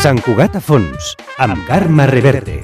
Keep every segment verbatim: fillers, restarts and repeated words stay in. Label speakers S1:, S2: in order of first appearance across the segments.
S1: Sant Cugat a fons, amb Carme Reverte.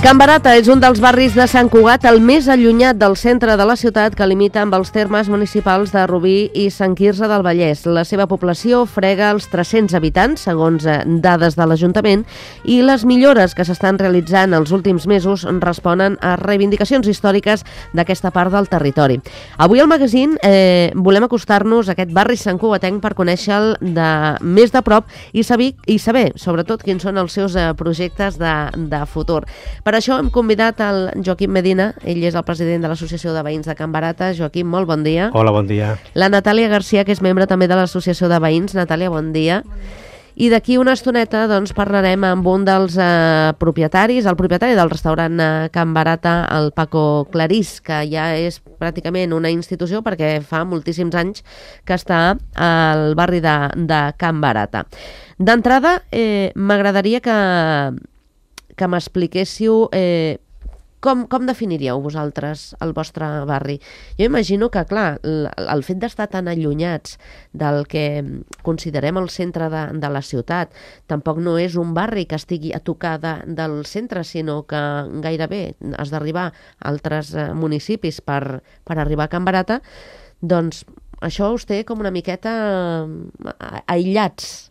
S2: Can Barata és un dels barris de Sant Cugat el més allunyat del centre de la ciutat, que limita amb els termes municipals de Rubí i Sant Quirze del Vallès. La seva població frega els tres-cents habitants, segons dades de l'Ajuntament, i les millores que s'estan realitzant els últims mesos responen a reivindicacions històriques d'aquesta part del territori. Avui al magazín eh, volem acostar-nos a aquest barri santcugatenc per conèixer-lo de més de prop i saber, i saber sobretot, quins són els seus eh, projectes de, de futur. Per això hem convidat el Joaquim Medina, ell és el president de l'Associació de Veïns de Can Barata. Joaquim, molt bon dia.
S3: Hola, bon dia.
S2: La Natàlia Garcia, que és membre també de l'Associació de Veïns. Natàlia, bon dia. Bon dia. I d'aquí una estoneta doncs, parlarem amb un dels eh, propietaris, el propietari del restaurant eh, Can Barata, el Paco Clarís, que ja és pràcticament una institució perquè fa moltíssims anys que està al barri de, de Can Barata. D'entrada, eh, m'agradaria que... que m'expliquéssiu eh, com, com definiríeu vosaltres el vostre barri. Jo imagino que, clar, el, el fet d'estar tan allunyats del que considerem el centre de, de la ciutat, tampoc no és un barri que estigui a tocar de, del centre, sinó que gairebé has d'arribar a altres eh, municipis per, per arribar a Can Barata, doncs això us té com una miqueta eh, aïllats,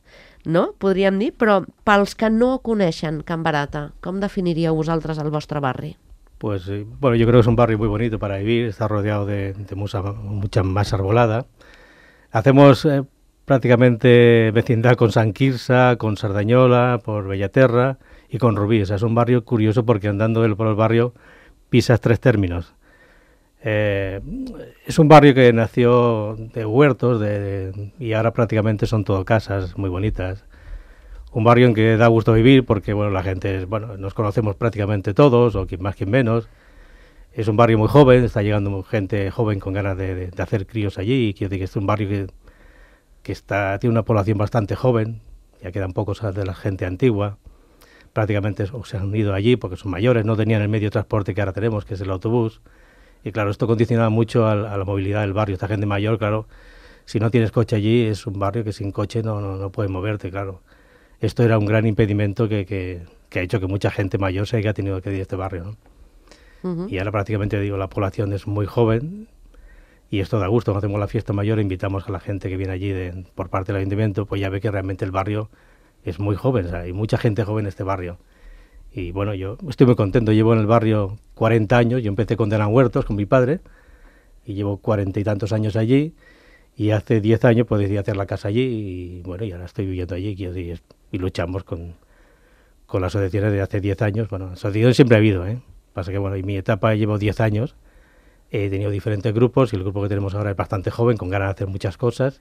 S2: no? Podríem dir, però pels que no coneixen Can Barata, com definiríeu vosaltres el vostre barri?
S3: Pues, eh, bueno, yo creo que es un barrio muy bonito para vivir, está rodeado de, de mucha, mucha más arbolada. Hacemos eh, prácticamente vecindad con Sant Quirze, con Sardañola, por Bellaterra y con Rubí. O sea, es un barrio curioso porque andando por el barrio pisas tres términos. Eh, es un barrio que nació de huertos de, de, y ahora prácticamente son todo casas muy bonitas. Un barrio en que da gusto vivir porque bueno, la gente, bueno, nos conocemos prácticamente todos, o quien más, quien menos. Es un barrio muy joven, está llegando gente joven con ganas de, de, de hacer críos allí. Y quiero decir que es un barrio que, que está, tiene una población bastante joven, ya quedan pocos de la gente antigua. Prácticamente se han ido allí porque son mayores, no tenían el medio de transporte que ahora tenemos, que es el autobús. Y claro, esto condiciona mucho a, a la movilidad del barrio. Esta gente mayor, claro, si no tienes coche allí, es un barrio que sin coche no, no, no puedes moverte, claro. Esto era un gran impedimento que, que, que ha hecho que mucha gente mayor se haya tenido que ir a este barrio, ¿no? Uh-huh. Y ahora prácticamente, digo, la población es muy joven y esto da gusto. Cuando hacemos la fiesta mayor, invitamos a la gente que viene allí de, por parte del ayuntamiento, pues ya ve que realmente el barrio es muy joven, o sea, hay mucha gente joven en este barrio. Y bueno, yo estoy muy contento, llevo en el barrio cuarenta años, yo empecé con Denan Huertos, con mi padre, y llevo cuarenta y tantos años allí, y hace diez años pues decidí hacer la casa allí, y bueno, y ahora estoy viviendo allí, y, y luchamos con, con las asociaciones de hace diez años. Bueno, asociaciones siempre ha habido, ¿eh? Pasa que bueno, en mi etapa llevo diez años, he tenido diferentes grupos, y el grupo que tenemos ahora es bastante joven, con ganas de hacer muchas cosas,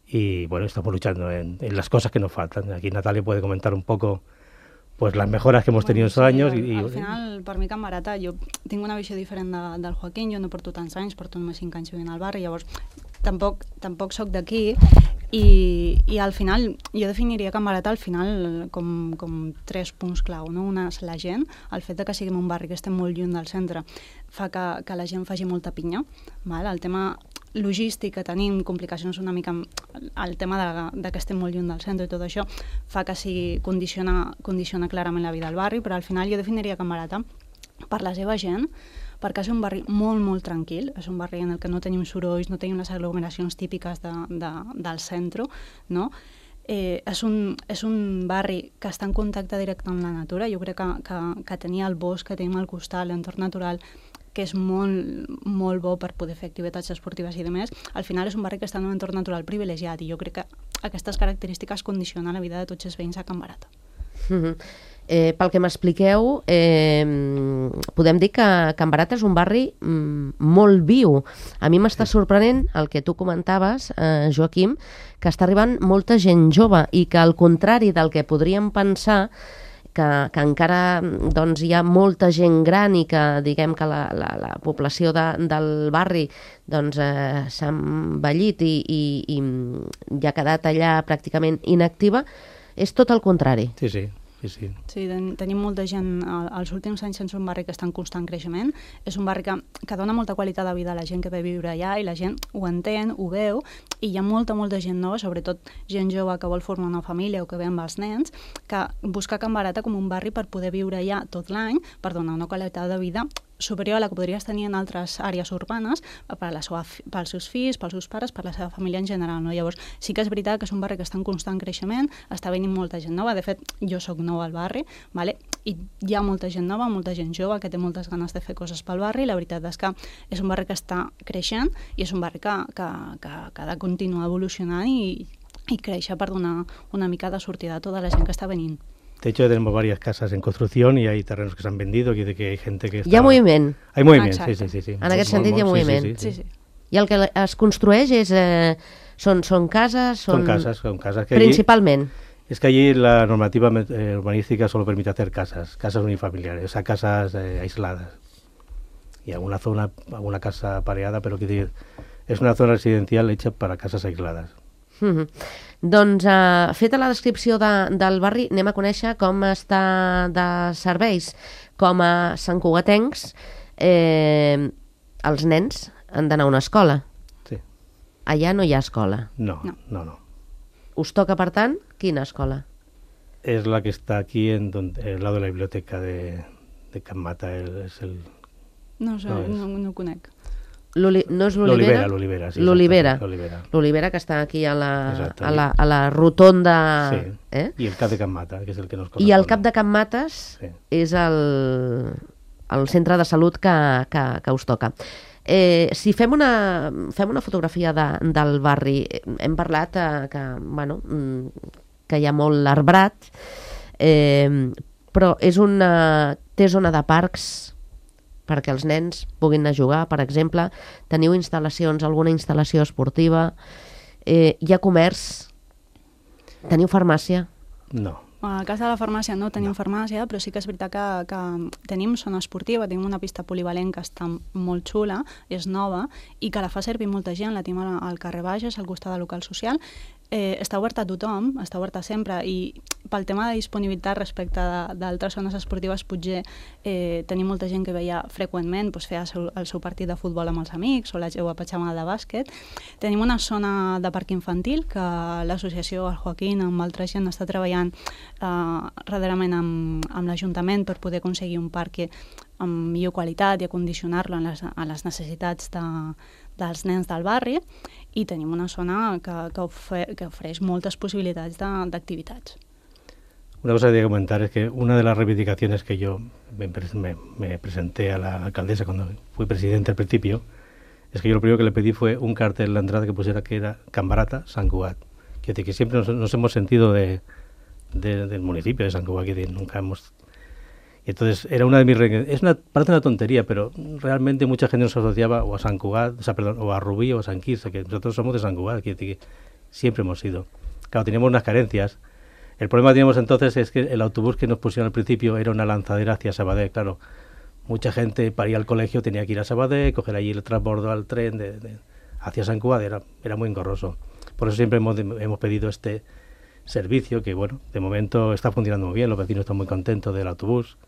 S3: y bueno, estamos luchando en, en las cosas que nos faltan. Aquí Natalia puede comentar un poco pues las mejoras que hemos bueno, tenido estos sí, años.
S4: Al,
S3: i,
S4: al final, per mi Can Barata, jo tinc una visió diferent de, del Joaquín, jo no porto tants anys, porto només cinc anys vivint al barri, llavors tampoc, tampoc soc d'aquí, i, i al final jo definiria Can Barata al final com, com tres punts clau, no? Una és la gent, el fet de que siguem un barri que estem molt lluny del centre fa que, que la gent faci molta pinya, val? El tema logístic que tenim, complicacions una mica el tema de, de que estem molt lluny del centre i tot això fa que sigui, condiciona, condiciona clarament la vida al barri, però al final jo definiria Can Barata per la seva gent, perquè és un barri molt, molt tranquil, és un barri en el que no tenim sorolls, no tenim les aglomeracions típiques de, de, del centre, no? Eh, és, un, és un barri que està en contacte directe amb la natura. Jo crec que, que, que tenir el bosc que tenim al costat, l'entorn natural, que és molt, molt bo per poder fer activitats esportives i demés, al final és un barri que està en un entorn natural privilegiat i jo crec que aquestes característiques condicionen la vida de tots els veïns a Can Barata.
S2: Uh-huh. Eh, pel que m'expliqueu, eh, podem dir que Can Barata és un barri mm, molt viu. A mi m'està sorprenent el que tu comentaves, eh, Joaquim, que està arribant molta gent jove i que al contrari del que podríem pensar, que, que encara doncs, hi ha molta gent gran i que diguem que la, la, la població de, del barri doncs, eh, s'ha envellit i, i, i ja ha quedat allà pràcticament inactiva, és tot el contrari.
S3: Sí, sí. Sí, sí.
S4: Sí, ten tenim molta gent, als últims anys és un barri que està en constant creixement, és un barri que, que dona molta qualitat de vida a la gent que ve a viure allà i la gent ho entén, ho veu, i hi ha molta, molta gent nova, sobretot gent jove que vol formar una família o que ve amb els nens, que busca Can Barata com un barri per poder viure allà tot l'any, per donar una qualitat de vida superior a la que podries tenir en altres àrees urbanes per la seva, pels seus fills, pels seus pares, per la seva família en general. No? Llavors, sí que és veritat que és un barri que està en constant creixement, està venint molta gent nova, de fet, jo sóc nova al barri, vale? I hi ha molta gent nova, molta gent jove que té moltes ganes de fer coses pel barri, la veritat és que és un barri que està creixent i és un barri que, que, que, que ha de continuar evolucionant i, i créixer per donar una mica de sortida a tota la gent que està venint.
S3: De hecho, tenemos varias casas en construcción y hay terrenos que se han vendido, que, que hay gente que está...
S2: Hi ha moviment.
S3: Hay moviment,
S4: Exacte.
S3: sí, sí, sí, sí.
S2: En aquest sentit hi ha
S3: Sí,
S2: moviment.
S3: sí, sí,
S4: Sí, sí.
S2: I el que es construeix és, eh, són, són cases? Són,
S3: Son casas, son casas. Que allí,
S2: principalment.
S3: es que allí la normativa eh, urbanística solo permite hacer casas, casas unifamiliares, o sea, casas eh, aisladas. Y alguna zona, alguna casa pareada, pero quiero decir, es una zona residencial hecha para casas aisladas.
S2: Mm-hmm. Doncs, eh, feta la descripció de, del barri, anem a conèixer com està de serveis. Com a santcugatencs, eh, els nens han d'anar a una escola.
S3: Sí.
S2: Allà no hi ha escola.
S3: No,
S4: No.
S3: no, no.
S2: Us toca, per tant, quina escola?
S3: Es la que está aquí, en donde, al lado de la biblioteca de, de Can Mata, el- es el...
S4: No, sé,
S3: No és.
S4: no, no ho conec.
S2: L'Oli- no és
S3: L'Olivera,
S2: l'Olivera?
S3: l'Olivera, sí.
S2: L'Olivera.
S3: exacto, L'Olivera.
S2: L'Olivera, que està aquí a la,
S3: Exacte.
S2: a la, a la rotonda.
S3: Sí.
S2: Eh?
S3: Y el Cap de Can Mata, que es el que nos
S2: I
S3: corresponde.
S2: el cap de Can Mates
S3: Sí.
S2: és el, el centre de salut que, que, que us toca. Eh, si fem una, fem una fotografia de, del barri, eh, hem parlat eh, que, bueno, mm, que hi ha molt arbrat, eh, però és una, té zona de parcs perquè els nens puguin anar a jugar, per exemple. Teniu instal·lacions, alguna instal·lació esportiva, eh, hi ha comerç, teniu farmàcia?
S3: No.
S4: A casa de la farmàcia no tenim
S3: No.
S4: farmàcia, però sí que és veritat que, que tenim zona esportiva, tenim una pista polivalent que està molt xula, és nova, i que la fa servir molta gent, la tenim al al carrer Bages, al costat del local social. Eh, està oberta a tothom, està oberta sempre, i pel tema de disponibilitat respecte de- d'altres zones esportives, potser eh, tenim molta gent que veia freqüentment, doncs, fer el seu, el seu partit de futbol amb els amics o la seva petjamada de bàsquet. Tenim una zona de parc infantil que l'associació, el Joaquín, amb altra gent, està treballant eh, darrerament amb, amb l'Ajuntament per poder aconseguir un parc amb millor qualitat i acondicionar-lo a les, a les necessitats de, dels nens del barri, i tenim una zona que, que, ofer, que ofereix moltes possibilitats de- d'activitats.
S3: Una cosa que quería comentar es que una de las reivindicaciones que yo me, pres- me- me presenté a la alcaldesa cuando fui presidente al principio, es que yo lo primero que le pedí fue un cartel en la entrada que pusiera que era Can Barata, Sant Cugat. Quiere decir que siempre nos, nos hemos sentido de, de- del municipio de Sant Cugat, quiere decir, nunca hemos... Y entonces era una de mis... re- Es una, parece una tontería, pero realmente mucha gente nos asociaba o a Sant Cugat, o sea, perdón, o a Rubí o a Sant Quirze, que nosotros somos de Sant Cugat, quiere decir que siempre hemos sido. Claro, teníamos unas carencias. El problema que teníamos entonces es que el autobús que nos pusieron al principio era una lanzadera hacia Sabadell, claro. Mucha gente para ir al colegio tenía que ir a Sabadell, coger allí el transbordo al tren de, de- hacia Sant Cugat, era, era muy engorroso. Por eso siempre hemos, hemos pedido este servicio que, bueno, de momento está funcionando muy bien, los vecinos están muy contentos del autobús,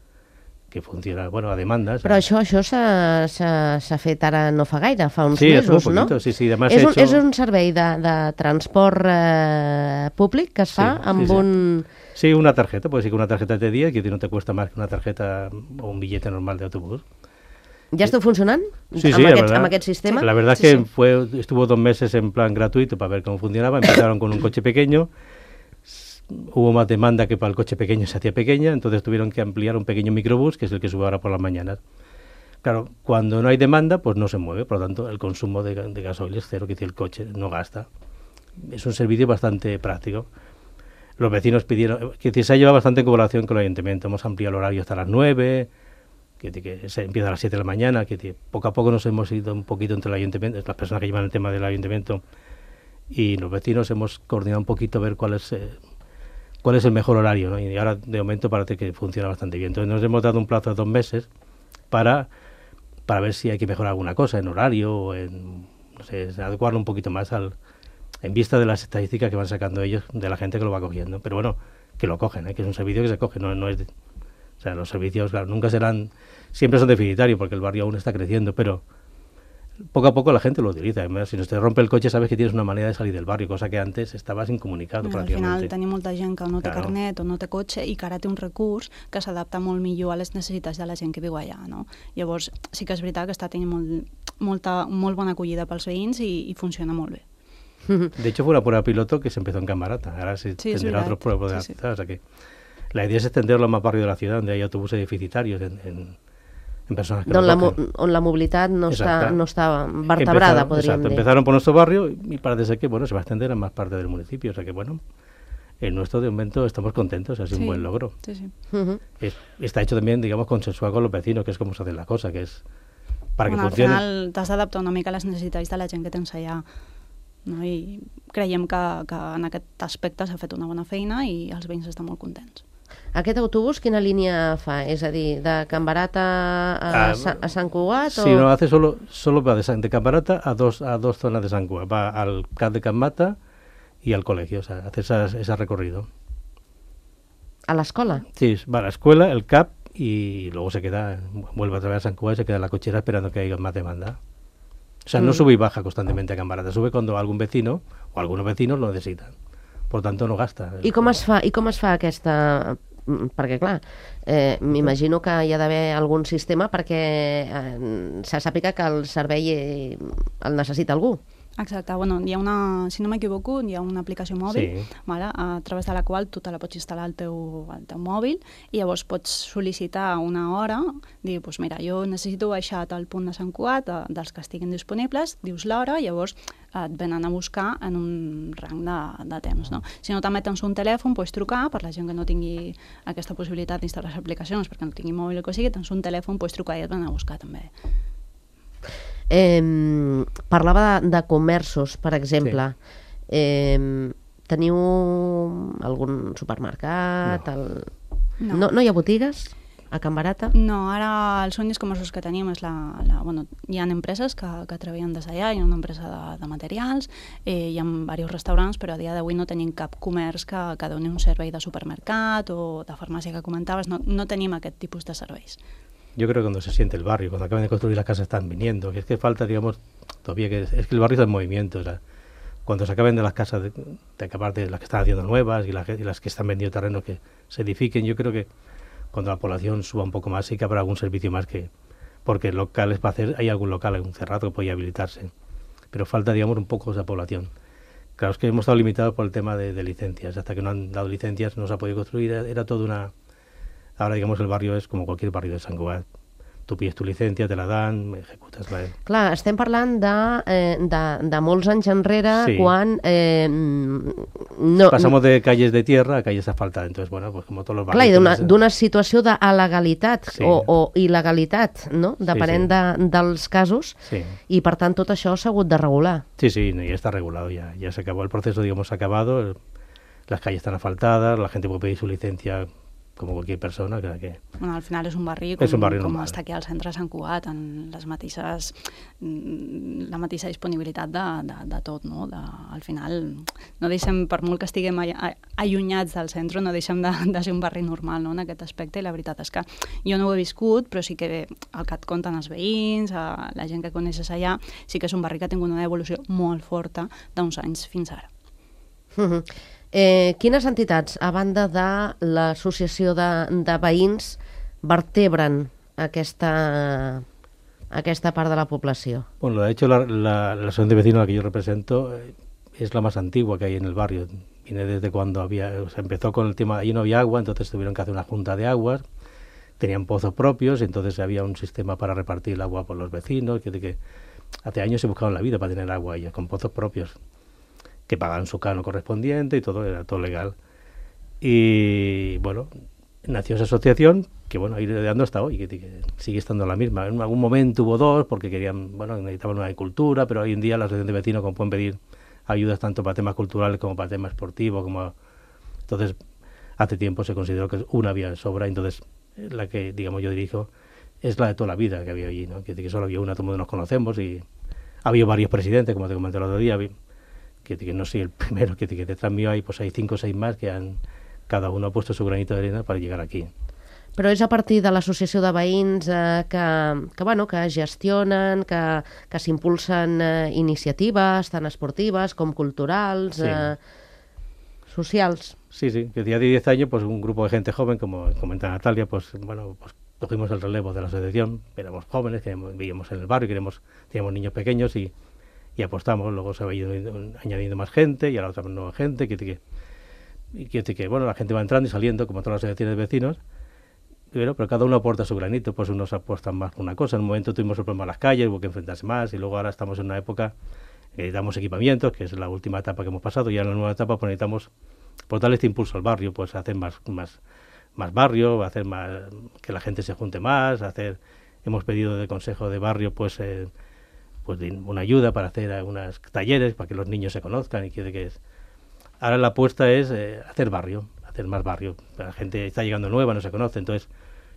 S3: que funciona, bueno, a demandas.
S2: Però això això s'ha s'ha- s'ha fet ara no fa gaire, fa uns
S3: Sí, hace
S2: mesos,
S3: un
S2: no?
S3: poquito, sí, sí, además
S2: és,
S3: he
S2: un,
S3: hecho-
S2: és un servei de, de transport eh, públic que es fa
S3: Sí, sí,
S2: amb
S3: sí.
S2: un...
S3: Sí, una tarjeta, puede ser que una tarjeta de día, que no te cuesta más que una tarjeta o un billete normal de autobús.
S2: Ja esteu funcionant?
S3: Sí,
S2: amb,
S3: sí, la
S2: aquest,
S3: verdad.
S2: amb aquest sistema?
S3: La verdad es
S4: Sí,
S3: que
S4: sí.
S3: fue estuvo dos meses en plan gratuito para ver cómo funcionaba. Empezaron con un coche pequeño, s- hubo más demanda que para el coche pequeño se hacía pequeña, entonces tuvieron que ampliar un pequeño microbús, que es el que sube ahora por las mañanas. Claro, cuando no hay demanda, pues no se mueve, por lo tanto el consumo de, ga- de gasoil es cero, que decir, el coche no gasta. Es un servicio bastante práctico. los vecinos pidieron, que decir, se ha llevado bastante en colaboración con el ayuntamiento, hemos ampliado el horario hasta las nueve, que, que se empieza a las siete de la mañana, que, que poco a poco nos hemos ido un poquito entre el ayuntamiento, las personas que llevan el tema del ayuntamiento y los vecinos hemos coordinado un poquito a ver cuál es eh, cuál es el mejor horario, ¿no? Y ahora de momento parece que funciona bastante bien. Entonces nos hemos dado un plazo de dos meses para, para ver si hay que mejorar alguna cosa en horario o en, no sé, adecuarlo un poquito más al en vista de las estadísticas que van sacando ellos de la gente que lo va cogiendo. Pero bueno, que lo cogen, ¿eh? Que es un servicio que se coge, no, no es... De, o sea, los servicios, claro, nunca serán... Siempre son deficitarios porque el barrio aún está creciendo, pero poco a poco la gente lo utiliza. Además, si no te rompe el coche, sabes que tienes una manera de salir del barrio, cosa que antes estabas incomunicado
S4: Al
S3: pràcticament.
S4: final tenim molta gent que no té
S3: Claro.
S4: carnet o no té cotxe i que ara té un recurs que s'adapta molt millor a les necessitats de la gent que viu allà, no? Llavors, sí que és veritat que està tenint molt, molta, molt bona acollida pels veïns i, i funciona molt bé.
S3: De hecho, fue una prueba piloto que se empezó en Camarata. Ahora se
S4: Sí, es
S3: tendrá
S4: verdad.
S3: otros pruebas de la
S4: Sí, sí.
S3: ciudad. O sea que la idea es extenderlo a más barrios de la ciudad, donde hay autobuses deficitarios en, en, en personas que
S2: On
S3: lo
S2: la, mo-
S3: cogen.
S2: on la mobilitat no està,
S3: Exacte.
S2: no està vertebrada,
S3: Empezaron-
S2: podríem
S3: exacto,
S2: dir.
S3: empezaron por nuestro barrio y parece ser que bueno se va a extender a más partes del municipio. O sea que bueno, en nuestro de momento estamos contentos, ha sido
S4: Sí.
S3: un buen logro.
S4: Sí, sí.
S2: Mhm.
S3: Es- está hecho también, digamos, consensuado con los vecinos, que es como se hace la cosa, que es para
S4: Bueno,
S3: que
S4: al
S3: funcione.
S4: final t'has d'adaptar una mica a les necessitats de la gent que tens allà, no? I creiem que, que en aquest aspecte s'ha fet una bona feina i els veïns estan molt contents.
S2: Aquest autobús quina línia fa? És a dir, de Can Barat a, a,
S3: Ah,
S2: Sa- a Sant Cugat?
S3: Sí, no, hace solo, solo va de, San- de Camparata a dos, a dos zonas de San Cugat. Va al C A P de Can Mata y al colegio, o sea, hace esas- ese recorrido.
S2: A l'escola?
S3: Sí, va a la escuela, el C A P y luego se queda, vuelve a través de San Cugat y se queda en la cochera esperando que haya más demanda. O sea, no
S2: Mm.
S3: sube y baja constantemente a Can Barata, sube cuando algún vecino o algunos vecinos lo necesitan. Por tanto, no gasta.
S2: I com es fa, i com es fa aquesta... mm, Perquè, clar, eh, m'imagino que hi ha d'haver algun sistema perquè eh, se sàpiga que el servei eh, el necessita algú.
S4: Exacte, bueno, hi ha una, si no m'equivoco, hi ha una aplicació mòbil,
S3: Sí.
S4: vale, a través de la qual tu te la pots instal·lar al teu, al teu mòbil i llavors pots sol·licitar una hora, dir, doncs mira, jo necessito baixar a tal punt de Sant Cugat, eh, dels que estiguin disponibles, dius l'hora, llavors eh, et venen a buscar en un rang de, de temps, no? Si no també tens un telèfon, pots trucar, per la gent que no tingui aquesta possibilitat d'instal·lar les aplicacions, perquè no tingui mòbil o que sigui, tens un telèfon, pots trucar i et venen a buscar també.
S2: Eh, parlava de, de comerços, per exemple. Sí. Eh, teniu algun supermercat?
S3: No.
S2: El...
S4: No.
S2: No, no hi ha botigues a Can Barata?
S4: No, ara els únics comerços que tenim és la... la bueno, hi ha empreses que, que treballen des d'allà, hi ha una empresa de, de materials, eh, hi ha diversos restaurants, però a dia d'avui no tenim cap comerç que, que doni un servei de supermercat o de farmàcia que comentaves, no, no tenim aquest tipus de serveis.
S3: Yo creo que cuando se siente el barrio, cuando acaban de construir las casas están viniendo, que es que falta, digamos, todavía que es, es que el barrio está en movimiento, o sea, cuando se acaben de las casas, de, de acabar de las que están haciendo nuevas y las, y las que están vendiendo terrenos que se edifiquen, yo creo que cuando la población suba un poco más sí que habrá algún servicio más que, porque locales para hacer, hay algún local, algún cerrado que podría habilitarse, pero falta, digamos, un poco esa población. Claro, es que hemos estado limitados por el tema de, de licencias, hasta que no han dado licencias no se ha podido construir, era, era toda una... Ahora, digamos, el barrio es como cualquier barrio de Sant Cugat. Tu pides tu licencia, te la dan, ejecutas la...
S2: Clar, estem parlant de, eh, de, de molts anys enrere,
S3: Sí.
S2: quan... Eh, no,
S3: Pasamos de calles de tierra a calles asfaltadas. Entonces, bueno, pues como todos los
S2: Clar, i
S3: barrios...
S2: d'una
S3: pues,
S2: d'una situació d'alegalitat
S3: Sí.
S2: o, o il·legalitat, no? Depenent
S3: sí.
S2: de, dels casos,
S3: Sí,
S2: i per tant tot això s'ha hagut de regular.
S3: sí, sí, no, ya está regulado, ya, ya se acabó el proceso, digamos, se ha acabado, el- las calles están asfaltadas, la gente puede pedir su licencia como cualquier persona, que, que
S4: Bueno, al final és un barri com,
S3: És un barri
S4: com
S3: normal.
S4: està aquí al centre de Sant Cugat, en les mateixes, mm, la mateixa disponibilitat de, de, de tot, no? De, al final, no deixem, per molt que estiguem a- a- allunyats del centre, no deixem de, de ser un barri normal, no?, en aquest aspecte, i la veritat és que jo no ho he viscut, però sí que el que et conten els veïns, a la gent que coneixes allà, sí que és un barri que ha tingut una evolució molt forta d'uns anys fins ara.
S2: Mhm. Eh, quines entitats, a banda de l'associació de, de veïns, vertebren aquesta, aquesta part de la població?
S3: Bueno, de hecho, la, la, la asociación de vecinos a la que yo represento eh, es la más antigua que hay en el barrio. Viene desde cuando había, o sea, empezó con el tema, ahí no había agua, entonces tuvieron que hacer una junta de aguas, tenían pozos propios, entonces había un sistema para repartir el agua por los vecinos, que, que hace años se buscaban la vida para tener agua ellos, con pozos propios, que pagaban su cano correspondiente y todo, era todo legal. Y bueno, nació esa asociación que bueno, ha ido dando hasta hoy, que, que sigue estando la misma. En algún momento hubo dos porque querían, bueno, necesitaban una de cultura, pero hoy en día la asociación de vecinos como pueden pedir ayudas tanto para temas culturales como para temas esportivos, como entonces hace tiempo se consideró que una vía de sobra, entonces la que digamos yo dirijo es la de toda la vida que había allí, ¿no? Que, que solo había una, todo el mundo nos conocemos y ha habido varios presidentes, como te comenté el otro día, que, que no soy el primero, que, que detrás mío hay pues hay cinco o seis más que han cada uno ha puesto su granito de arena para llegar aquí.
S2: Però és a partir de l'associació de veïns eh, que, que, bueno, que gestionen, que, que s'impulsen eh, iniciatives, tant esportives com culturals, sí. eh, socials.
S3: Sí, sí, que día de diez años, pues un grupo de gente joven, como comenta Natalia, pues bueno, pues cogimos el relevo de la asociación, éramos jóvenes, que vivíamos en el barrio, queremos, teníamos niños pequeños y, y apostamos, luego se ha ido añadiendo más gente y ahora otra nueva gente, que, que, que, que bueno, la gente va entrando y saliendo, como todas las asociaciones de vecinos. Pero, pero cada uno aporta su granito, pues unos apuestan más por una cosa. En un momento tuvimos el problema en las calles, hubo que enfrentarse más, y luego ahora estamos en una época que necesitamos equipamientos, que es la última etapa que hemos pasado, y ahora en la nueva etapa pues necesitamos pues, darle este impulso al barrio, pues hacer más, más, más barrio, hacer más, que la gente se junte más, hacer, hemos pedido de consejo de barrio pues, eh, pues una ayuda para hacer unos talleres para que los niños se conozcan y que, que es. Ahora la apuesta es eh, hacer barrio. Hacer más barrio. La gente está llegando nueva, no se conoce, entonces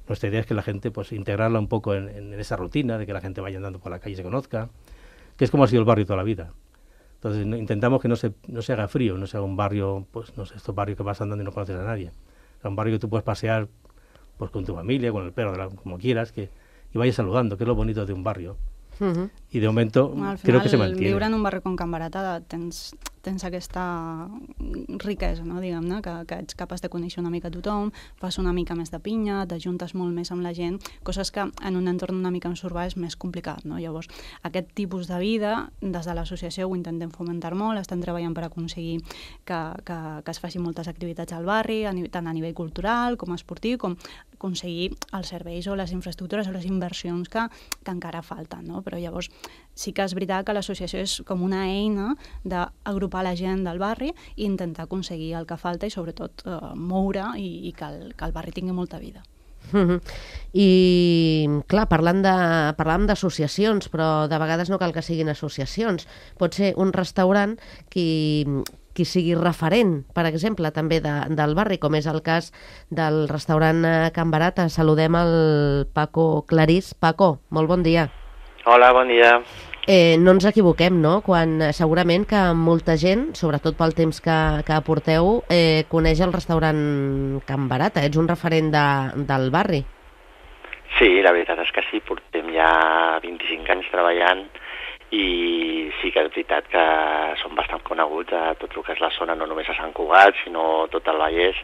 S3: nuestra idea es que la gente, pues integrarla un poco en, en esa rutina, de que la gente vaya andando por la calle y se conozca, que es como ha sido el barrio toda la vida. Entonces no, intentamos que no se, no se haga frío, no sea un barrio, pues no sé, estos barrios que vas andando y no conoces a nadie. O sea, un barrio que tú puedes pasear pues con tu familia, con el perro, de la, como quieras, que y vayas saludando, que es lo bonito de un barrio. Uh-huh. I de momento bueno, creo que se mantiene.
S4: Viure en un barri com Can Barata tens, tens aquesta riquesa, no? Diguem-ne, que, que ets capaç de conèixer una mica tothom, fas una mica més de pinya, t'ajuntes molt més amb la gent, coses que en un entorn una mica més urbà és més complicat, no? Llavors, aquest tipus de vida, des de l'associació ho intentem fomentar molt, estem treballant per aconseguir que, que, que es facin moltes activitats al barri, a nivell, tant a nivell cultural com esportiu, com aconseguir els serveis o les infraestructures o les inversions que, que encara falten, no? Però llavors sí que és veritat que l'associació és com una eina d'agrupar la gent del barri i intentar aconseguir el que falta i sobretot eh, moure i, i que, el, que el barri tingui molta vida.
S2: Uh-huh. I clar, parlant de, parlant d'associacions, però de vegades no cal que siguin associacions. Pot ser un restaurant qui, qui sigui referent, per exemple, també de, del barri, com és el cas del restaurant Can Barata. Saludem el Paco Clarís. Paco, molt bon dia.
S5: Hola, bon dia.
S2: Eh, no ens equivoquem, no? Quan segurament que molta gent, sobretot pel temps que, que aporteu, eh, coneix el restaurant Can Barata. Ets un referent de, del barri.
S5: Sí, la veritat és que sí, portem ja vint-i-cinc anys treballant i sí que és veritat que som bastant coneguts a tot el que és la zona, no només a Sant Cugat, sinó tot el Vallès,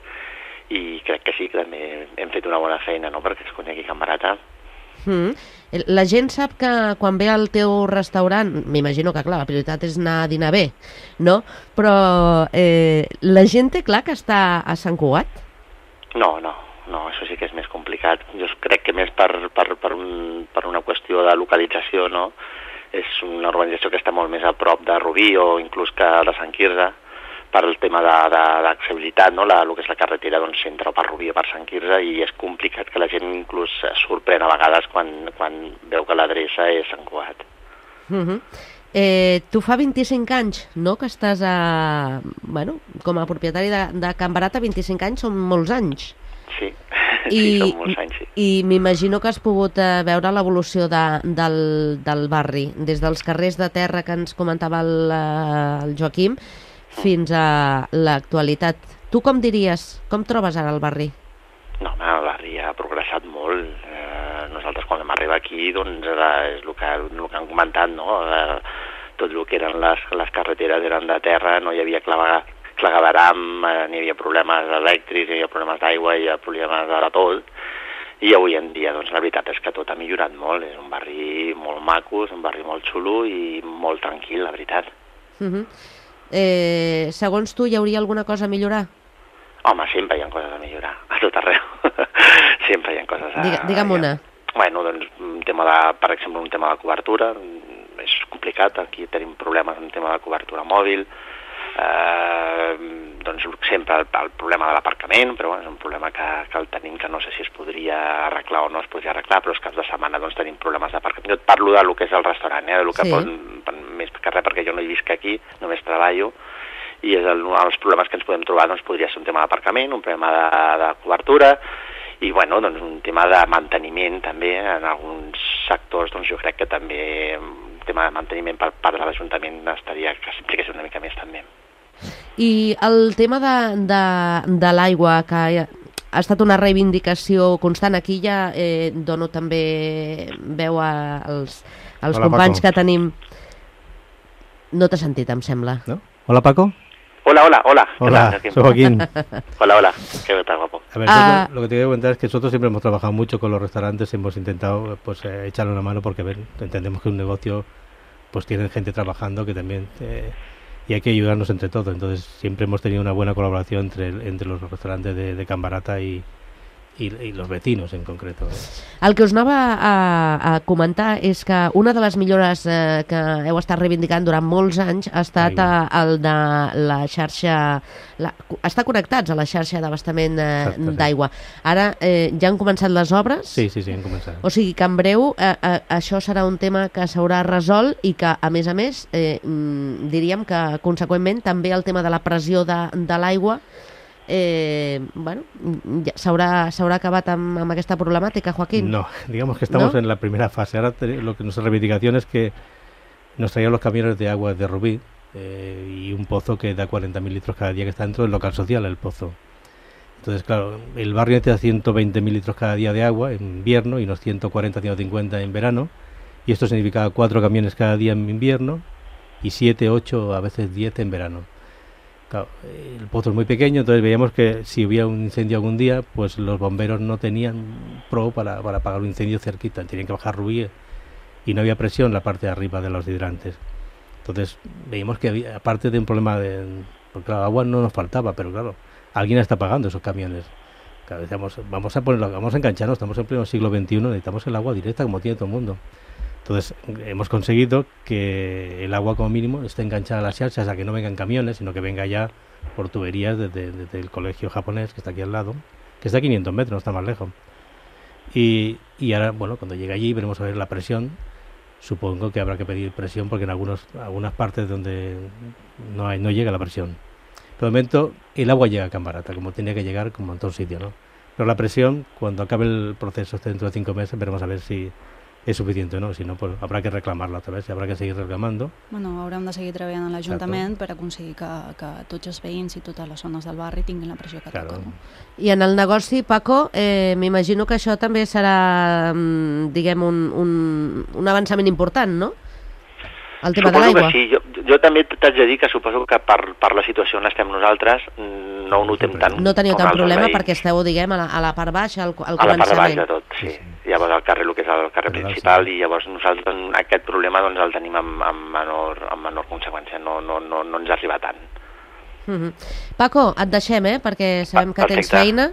S5: i crec que sí, que també hem fet una bona feina, no?, perquè es conegui Can Barata.
S2: Mm. La gent sap que quan ve al teu restaurant, m'imagino que clar, la prioritat és anar a dinar bé, no? Però eh, la gent té clar que està a Sant Cugat?
S5: No, no, no, això sí que és més complicat. Jo crec que més per, per, per, un, per una qüestió de localització, no? És una urbanització que està molt més a prop de Rubí o inclús que de Sant Quirze, per el tema d'accessibilitat, no? La, el que és la carretera doncs, entra per Rubí o per Sant Quirze i és complicat que la gent inclús es sorprèn a vegades quan, quan veu que l'adreça és Sant Cugat.
S2: Uh-huh. eh, tu fa vint-i-cinc anys, no?, que estàs a... Bueno, com a propietari de, de Can Barata, vint-i-cinc anys són molts anys.
S5: Sí,
S2: I,
S5: sí, són molts anys, sí.
S2: I m'imagino que has pogut eh, veure l'evolució de, del, del barri, des dels carrers de terra que ens comentava el, el Joaquim, fins a l'actualitat. Tu com diries, com trobes ara el barri?
S5: No, home, el barri ha progressat molt. Eh, nosaltres quan vam arribar aquí, doncs, era, és el que, el que han comentat, no? Eh, tot el que eren les, les carreteres eren de terra, no hi havia clavegar, clavegaram, eh, n'hi havia problemes elèctrics, hi havia problemes d'aigua, hi havia problemes de tot. I avui en dia, doncs, la veritat és que tot ha millorat molt. És un barri molt maco, és un barri molt xulo i molt tranquil, la veritat.
S2: Mhm. Uh-huh. Eh, segons tu, hi hauria alguna cosa a millorar?
S5: Home, sempre hi ha coses a millorar, a tot arreu. Sempre hi ha coses a...
S2: Digue, digue'm una.
S5: Bueno, doncs, un tema de, per exemple, un tema de cobertura, és complicat, aquí tenim problemes amb un tema de cobertura mòbil, eh, doncs sempre el, el problema de l'aparcament, però bueno, és un problema que, que el tenim, que no sé si es podria arreglar o no es podria arreglar, però els caps de setmana doncs, tenim problemes d'aparcament. Jo et parlo de lo que és el restaurant, eh, de lo que
S2: Sí.
S5: pot, més que res perquè jo no hi visc aquí, només treballo, i és el, els problemes que ens podem trobar doncs, podria ser un tema d'aparcament, un problema de, de cobertura, i bueno, doncs, un tema de manteniment també, en alguns sectors doncs, jo crec que també un tema de manteniment per part de l'Ajuntament estaria que s'impliqués una mica més també.
S2: I el tema de, de, de l'aigua, que ha estat una reivindicació constant, aquí ja eh, dono també veu a, als, als
S3: Hola,
S2: companys
S3: Paco.
S2: que tenim. No t'he sentit, em sembla.
S3: ¿No? Hola, Paco.
S5: Hola, hola, hola. ¿Qué
S3: Hola,
S5: tal, Joaquín?
S3: soy Joaquín.
S5: Hola, hola. ¿Qué tal, guapo?
S3: A ver,
S2: Ah.
S3: nosotros, lo que te quiero comentar es que nosotros siempre hemos trabajado mucho con los restaurantes, hemos intentado pues eh, echarle una mano porque ver, entendemos que un negocio pues tiene gente trabajando que también eh, y hay que ayudarnos entre todos. Entonces siempre hemos tenido una buena colaboración entre, entre los restaurantes de, de Can Barata y, i, i los vecinos en concreto.
S2: El que us anava a, a comentar és que una de les millores eh, que heu estat reivindicant durant molts anys ha estat eh, el de la xarxa, la, estar connectats a la xarxa d'abastament eh,
S3: Exacte, sí.
S2: d'aigua. Ara eh, ja han començat les obres?
S3: Sí, sí, sí, hem començat.
S2: O sigui que en breu eh, eh, això serà un tema que s'haurà resolt i que, a més a més, eh, mm, diríem que, conseqüentment, també el tema de la pressió de, de l'aigua Eh, bueno, ja s'haurà s'haurà acabat amb, amb aquesta problemàtica, Joaquín.
S3: No, digamos que estamos
S2: ¿No?
S3: en la primera fase. Ahora te- lo que nuestra reivindicación es que nos traían los camiones de agua de Rubí eh, y un pozo que da cuarenta mil litros cada día, que está dentro del local social, el pozo. Entonces, claro, el barrio necesita ciento veinte mil litros cada día de agua en invierno y unos ciento cuarenta, ciento cincuenta en verano, y esto significaba cuatro camiones cada día en invierno y siete, ocho, a veces diez en verano. Claro, el pozo es muy pequeño, entonces veíamos que si hubiera un incendio algún día, pues los bomberos no tenían pro para, para apagar un incendio cerquita, tenían que bajar Rubí y no había presión en la parte de arriba de los hidrantes. Entonces veíamos que había, aparte de un problema de... Porque claro, agua no nos faltaba, pero claro, alguien está pagando esos camiones. Claro, decíamos, vamos a ponerlo, vamos a engancharnos, estamos en pleno siglo veintiuno, necesitamos el agua directa como tiene todo el mundo. Entonces hemos conseguido que el agua como mínimo esté enganchada a las xarxas, a que no vengan camiones, sino que venga ya por tuberías desde, desde el colegio japonés, que está aquí al lado, que está a quinientos metros, no está más lejos. Y, y ahora, bueno, cuando llegue allí veremos a ver la presión. Supongo que habrá que pedir presión porque en algunos, algunas partes donde no, hay, no llega la presión. Pero de momento el agua llega a Can Barata, como tenía que llegar, como en todo sitio, ¿no? Pero la presión, cuando acabe el proceso este dentro de cinco meses, veremos a ver si és suficient o no, si no, pues, habrá que reclamarla otra vez y habrá que seguir reclamando.
S4: Bueno, haurem de seguir treballant a l'Ajuntament per aconseguir que, que tots els veïns i totes les zones del barri tinguin la pressió que
S3: Claro.
S4: toca.
S2: I en el negoci, Paco, eh, m'imagino que això també serà, mm, diguem, un, un, un avançament important, no? El tema de
S5: Suposo
S2: l'aigua.
S5: que sí. Jo, jo també t'haig de dir que suposo que per, per la situació on estem nosaltres mm, no ho notem tant.
S2: No teniu
S5: com
S2: tant
S5: altres
S2: problema
S5: veïns.
S2: perquè esteu, diguem, a la, a la part baixa, al, al
S5: A la part de baix
S2: començament.
S5: de tot, sí.
S3: Sí, sí.
S5: Llavors al carrer, el que és el carrer
S3: General,
S5: principal,
S3: sí.
S5: i llavors nosaltres aquest problema doncs, el tenim amb, amb, menor, amb menor conseqüència, no, no, no, no ens arriba tant.
S2: Mhm. Paco, et deixem, eh? Perquè sabem que tens
S5: Perfecte.
S2: feina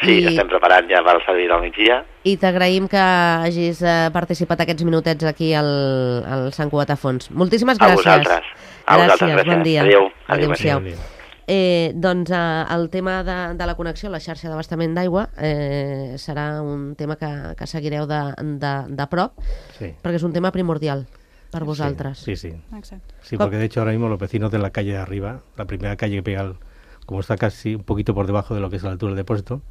S5: Sí,
S2: i,
S5: estem preparant ja per al servei del migdia.
S2: i t'agraïm que hagis eh, participat aquests minutets aquí al, al Sant Cugat a Fons. Moltíssimes
S5: A
S2: gràcies.
S5: vosaltres. A vosaltres,
S2: gràcies, bon
S5: gràcies.
S2: dia.
S5: Adéu.
S2: Adéu-siau.
S3: Adéu.
S2: Eh, doncs eh, el tema de, de la connexió, la xarxa d'abastament d'aigua, eh, serà un tema que, que seguireu de, de, de prop,
S3: Sí.
S2: perquè és un tema primordial per vosaltres.
S3: Sí, sí.
S4: Exacte.
S3: Sí, porque de hecho ahora mismo los vecinos de la calle de arriba, la primera calle que pega, el, como está casi un poquito por debajo de lo que es la altura del depósito,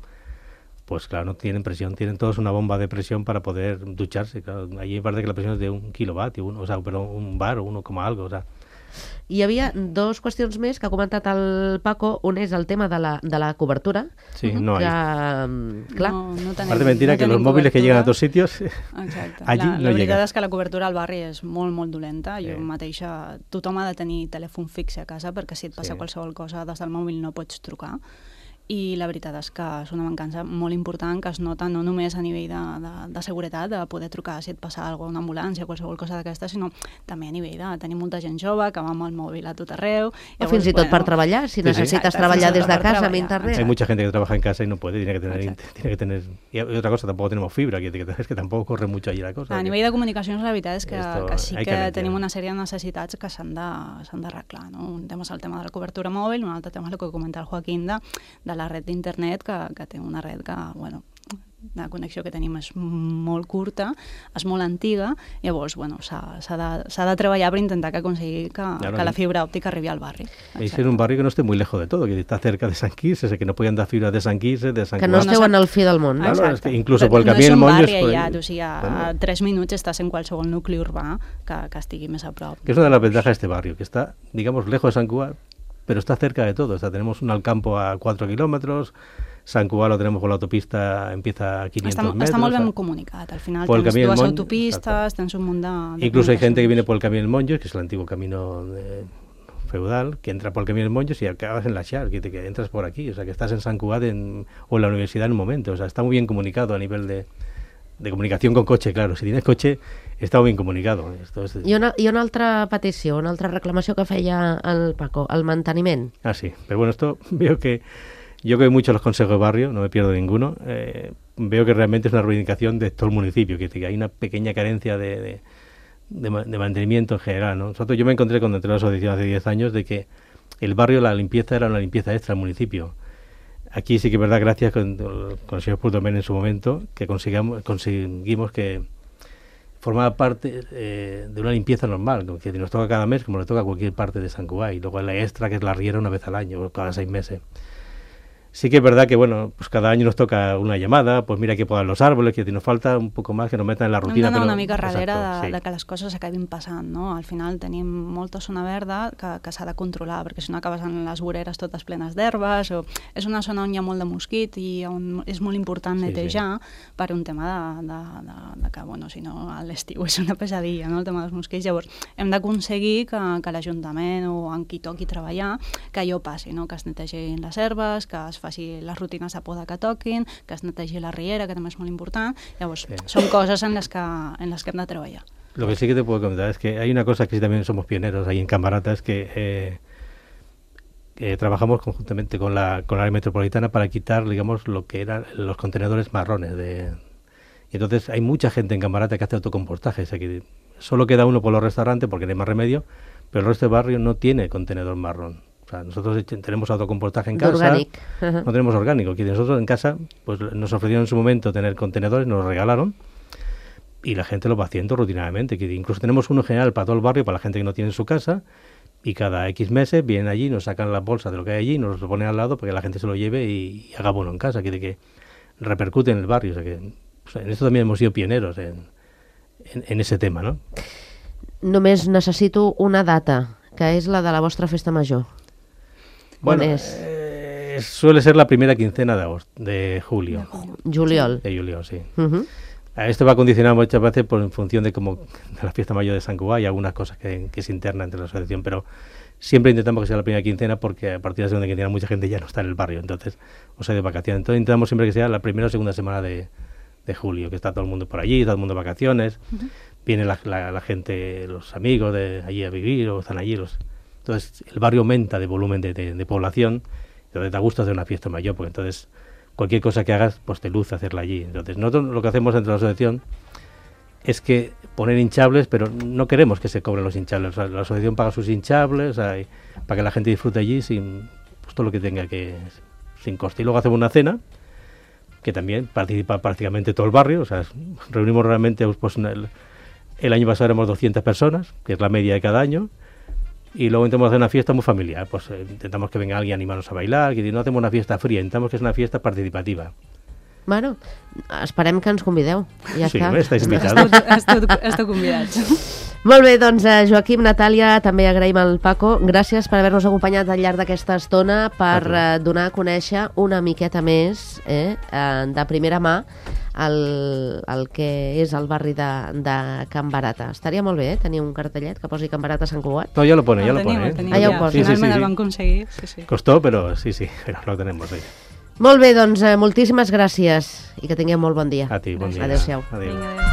S3: pues claro, no tienen presión, tienen todos una bomba de presión para poder ducharse. Claro, allí parece que la presión es de un kilovatio, uno, o sea, pero un bar o uno coma algo, o sea.
S2: Hi havia dos qüestions més que ha comentat el Paco. Un és el tema de la, de la cobertura,
S3: Sí, no
S2: que,
S3: hay.
S2: mm, clar,
S4: No, no tenim,
S3: Aparte mentira
S4: no
S3: que los
S4: tenim
S3: móviles que llegan a
S4: cobertura.
S3: otros sitios,
S4: Exacte.
S3: allí
S4: la,
S3: no
S4: la veritat
S3: llega.
S4: és que la cobertura al barri és molt, molt dolenta. Jo
S3: Sí.
S4: mateixa, tothom ha de tenir telèfon fix a casa perquè si et passa
S3: Sí.
S4: qualsevol cosa des del mòbil no pots trucar. i la veritat és que és una mancança molt important que es nota no només a nivell de, de, de seguretat, de poder trucar si et passa alguna cosa, una ambulància o qualsevol cosa d'aquesta, sinó també a nivell de tenir molta gent jove que va amb el mòbil a tot arreu.
S2: O fins i tot per treballar, si necesites treballar des de casa amb internet.
S3: Hay mucha gente que trabaja en casa y no puede, tiene que tener... Tiene que tener y otra cosa, tampoco tenemos fibra, que, es que tampoco corre mucho allí la cosa.
S4: A nivell de comunicacions, la veritat és que, que sí que,
S3: que
S4: tenim una sèrie de necessitats que s'han d'arreglar. No? Un tema és el tema de la cobertura mòbil, un altre tema és el que comenta el Joaquín de, de la red d'internet, que, que té una red que, bueno, la connexió que tenim és molt curta, és molt antiga, llavors, bueno, s'ha de, de treballar per intentar que aconseguir que, claro, que la fibra òptica arribi al barri.
S3: Es en un barrio que no esté muy lejos de todo, que está cerca de San Quirze, que no pueden dar fibra de San Quirze, de San
S2: Que no esteu en el fi del món.
S3: Claro, es que incluso por el camí del
S4: Monjo...
S3: No
S4: és un
S3: es
S4: barri
S3: por...
S4: aïllat, o sigui, a, bueno. a tres minuts estàs en qualsevol nucli urbà que, que estigui més a prop.
S3: Que es una de las ventajas de este barrio, que está, digamos, lejos de San Cugat, pero está cerca de todo. O sea, tenemos un Alcampo a cuatro kilómetros, Sant Cugat lo tenemos con la autopista, empieza a quinientos
S4: està,
S3: metros.
S4: Està molt ben
S3: o sea,
S4: comunicat. Al final
S3: tens
S4: dues
S3: Monjo,
S4: autopistes, exacto. Tens un munt de... de
S3: Incluso hay gente que viene por el Camino del Monjo, que es el antiguo camino de, feudal, que entra por el Camino del Monjo y acabas en la Char, que, te, que entras por aquí. O sea, que estás en Sant Cugat en, o en la universidad en un momento. O sea, está muy bien comunicado a nivel de... de comunicación con coche, claro. Si tienes coche, està ben comunicado. Esto es...
S2: I, una, I una altra petició, una altra reclamació que feia el Paco, el manteniment.
S3: Ah, sí. Pero bueno, esto veo que... Yo que veo mucho los consejos de barrio, no me pierdo ninguno. Eh, veo que realmente es una reivindicación de todo el municipio, que, que hay una pequeña carencia de, de, de, de mantenimiento en general, ¿no? Nosotros, yo me encontré cuando entré a la asociación hace diez años de que el barrio, la limpieza era una limpieza extra del municipio. Aquí sí que es verdad, gracias con, con el señor Purdomen en su momento, que conseguimos, conseguimos que formaba parte eh, de una limpieza normal, que nos toca cada mes como le toca a cualquier parte de Sant Cugat, y luego la extra que es la riera una vez al año, o cada seis meses. Sí que es verdad que, bueno, pues cada año nos toca una llamada, pues mira que podan los árboles, que nos falta un poco más que nos metan en la rutina.
S4: Hem d'anar
S3: però...
S4: una mica darrere
S3: Exacto,
S4: de,
S3: sí.
S4: de que les coses acabin passant, no? Al final tenim molta zona verda que, que s'ha de controlar, perquè si no acabes en les voreres totes plenes d'herbes, o és una zona on hi ha molt de mosquit i on és molt important netejar, sí, sí. per un tema de, de, de, de que, bueno, si no, a l'estiu és una pesadilla, no?, el tema dels mosquits. Llavors, hem d'aconseguir que, que l'Ajuntament o en qui toqui treballar, que allò passi, no?, que es netegin les herbes, que es faci les rutines de poda que toquin, que es netegi la riera, que també és molt important. Llavors, sí. són coses en les, que, en les que hem de treballar.
S3: Lo que sí que te puedo comentar es que hay una cosa que sí también somos pioneros ahí en Cambarata, es que eh, eh, trabajamos conjuntamente con la, con la área metropolitana para quitar, digamos, lo que eran los contenedores marrones. De, y entonces hay mucha gente en Cambarata que hace autocompostaje, o sea que solo queda uno por los restaurantes porque no hay más remedio, pero el resto del barrio no tiene contenedor marrón. O sea, nosotros tenemos autocompostaje en casa,
S2: orgánico.
S3: No tenemos orgánico. Que nosotros en casa, pues nos ofrecieron en su momento tener contenedores, nos los regalaron y la gente lo va haciendo rutinariamente. Que incluso tenemos uno general para todo el barrio, para la gente que no tiene en su casa, y cada X meses vienen allí, nos sacan las bolsas de lo que hay allí, nos lo ponen al lado para que la gente se lo lleve y, y haga bueno en casa, que, que repercute en el barrio. O sea, que o sea, en esto también hemos sido pioneros en, en, en ese tema, ¿no?
S2: Només necessito una data, que és la de la vostra festa major.
S3: Bueno, eh, suele ser la primera quincena de agosto, de julio.
S2: Juliol.
S3: De julio, sí.
S2: Uh-huh.
S3: Esto va condicionado muchas veces por en función de cómo de la fiesta mayor de Sant Cugat y algunas cosas que, que se interna entre la asociación, pero siempre intentamos que sea la primera quincena porque a partir de la segunda quincena mucha gente ya no está en el barrio, entonces, o sea, de vacaciones. Entonces intentamos siempre que sea la primera o segunda semana de, de julio, que está todo el mundo por allí, todo el mundo de vacaciones, uh-huh. viene la, la, la gente, los amigos de allí a vivir o están allí los... Entonces el barrio aumenta de volumen de, de, de población, entonces da gusto hacer una fiesta mayor, porque entonces cualquier cosa que hagas, pues te luce hacerla allí. Entonces nosotros lo que hacemos entre la asociación es que poner hinchables, pero no queremos que se cobren los hinchables. O sea, la asociación paga sus hinchables, o sea, para que la gente disfrute allí sin pues, todo lo que tenga que, sin coste. Y luego hacemos una cena, que también participa prácticamente todo el barrio, o sea, reunimos realmente, pues el, el año pasado éramos doscientas personas, que es la media de cada año. Y luego intentamos hacer una fiesta muy familiar, pues eh, intentamos que venga alguien a animarnos a bailar, que no hacemos una fiesta fría, intentamos que es una fiesta participativa.
S2: Bueno, esperem que ens convideu. Ja
S3: sí,
S2: està.
S3: estáis invitados.
S4: Esteu, esteu convidats.
S2: Molt bé, doncs eh, Joaquim, Natàlia, també agraïm al Paco. Gràcies per haver-nos acompanyat al llarg d'aquesta estona per eh, donar a conèixer una miqueta més eh, eh, de primera mà el, el que és el barri de, de Can Barata. Estaria molt bé eh, tenir un cartellet que posi Can Barata Sant Cugat.
S3: No, ya lo pone, ya
S4: lo
S3: lo
S4: tenim,
S3: pone.
S4: El
S3: ¿eh?
S4: tenim,
S2: ah, ja
S4: ja.
S2: ho posa.
S4: Finalment
S3: sí, sí,
S4: el
S3: sí.
S4: van aconseguir. Sí, sí.
S3: Costó, pero sí, sí, pero lo tenemos ahí.
S2: Molt bé, doncs eh, moltíssimes gràcies i que tingueu molt bon dia.
S3: A ti, bon dia.
S2: Adéu-siau.
S3: Adéu.
S4: Vinga, adéu.